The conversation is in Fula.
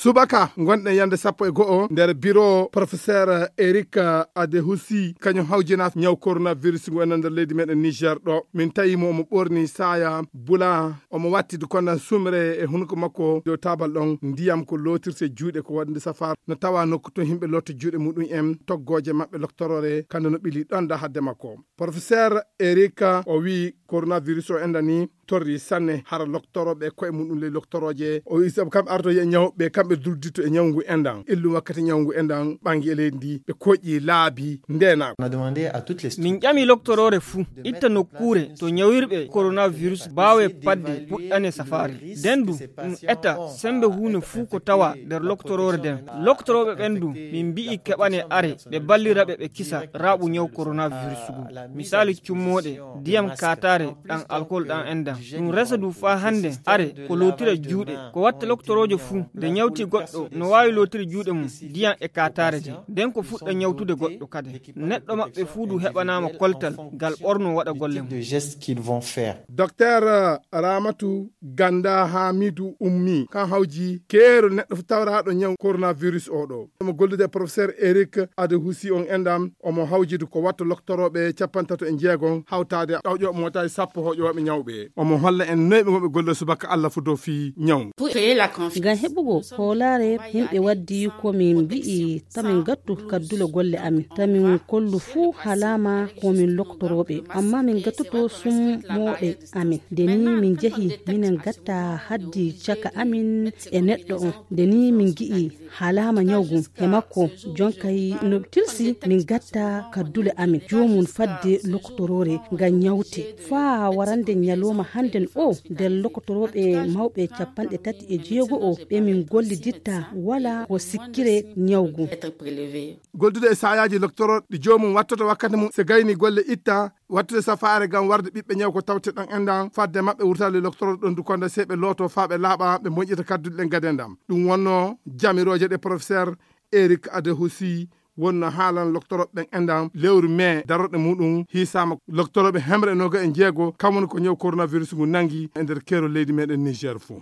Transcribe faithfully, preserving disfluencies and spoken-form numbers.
Subaka ngonɗen yande sappo e go'o nder biro professeur Eric Adehusi, kañum hawjinaa ñaw coronavirus ngu enen nder leydi meɗen Niger ɗo. Min tawi mo omo ɓorni saya bula, omo watti kondan sumre e hunuko makko dow tabal ɗon, ndiyam ko lootirte juuɗe ko waɗde safar. No tawa nokku to himɓe lotta juuɗe muɗum en, toggooje maɓɓe loktorore, kande no ɓili ɗon da hadde makko. Professeur Eric o wi coronavirus o enda ni torri sanne, hara loktorooɓe koye muɗum ley loktorooje. O wi sabu kamɓe ardoye e ñawɓe, kamɓe dulditto e ñawngu endan. Illum wakkati ñawngu endan ɓangi e leydi ndi, ɓe koƴƴi laabi ndenaako. On a demandé à toutes les Min ƴami loktoroore fuu, itta nokkuure to ñawirɓe coronavirus baawe padde puɗɗane safaare. Den du, ɗum eta sembe huune fuu ko tawa nder loktoroore den. Loktorooɓe ɓen du, min mbi'i keɓane are, ɓe ballira ɓe, ɓe kisa raaɓu ñaw coronavirus ngu. Misali cummooɗe, diyam kaataare, ɗan alkol ɗan endan. Ɗum resa du faa hande, are, ko lootira juuɗe. Ko watta loktoroojo fuu, nde ñawti goɗɗo, no waawi lootiri juuɗe mum, diyam e kaataare de. Den ko fuɗɗa ñawtude goɗɗo kade. Neɗɗo maɓɓe fuu du heɓanaama koltal, gal ɓorno waɗa golle mum. De gestes qu'ils vont faire. Docteur Ramatu Ganda Hamidu Ummi, kan hawji keerol neɗɗo fu tawraaɗo ñaw coronavirus o ɗo. Omo gollude e professeur Eric Adehusi on endam, omo hawjidi ko watta loktorooɓe capantato e jeegom hawtaade ɗawƴooɓe mootaaji sappo hoƴooɓe ñawɓe. Omo holla en noy ɓe ngonɓe golle subaka Allah fu dow fii ñaw. Ngam heɓugo hoolaare, yimɓe waddi ko min mbi'i, ta min ngattu kaddule golle amin, ta min kollu fuu halaama ko min loktorooɓe, amma min ngattuto summooɓe amin. Nde ni min njahi, minen ngatta haddi caka amin e neɗɗo on. Nde ni min ngi'i halaama ñawgu e makko, jonkay no tilsi min ngatta kaddule amin joomum fadde lokotoroore ngam ñawte. Faa warande ñalooma hannden o, nder lokotorooɓe mawɓe capanɗe tati e jeego o ɓe min golliditta, wala ko sikkire ñawgu. Goldude e saayaaji loktorooɗi joomum wattoto wakkati mum, se gayni golle itta, wattude safaare ngam warde ɓiɓɓe ñaw ko tawte ɗan endan, fadde maɓɓe wurtali loktorooɗo ɗon du konda se ɓe looto faa ɓe laaɓa, ɓe moƴƴita kadduɗe ɗen gaden ɗam. Ɗum wonno jamirooje ɗe professeur Eric Adehusi wonno haalan loktorooɓe ɓen endan lewru mai darorɗe muɗum hiisaama loktorooɓe hemre noga e jeego, kam woni ko ñaw coronavirus ngu nangi e nder keerol leydi meɗen Niger fuu.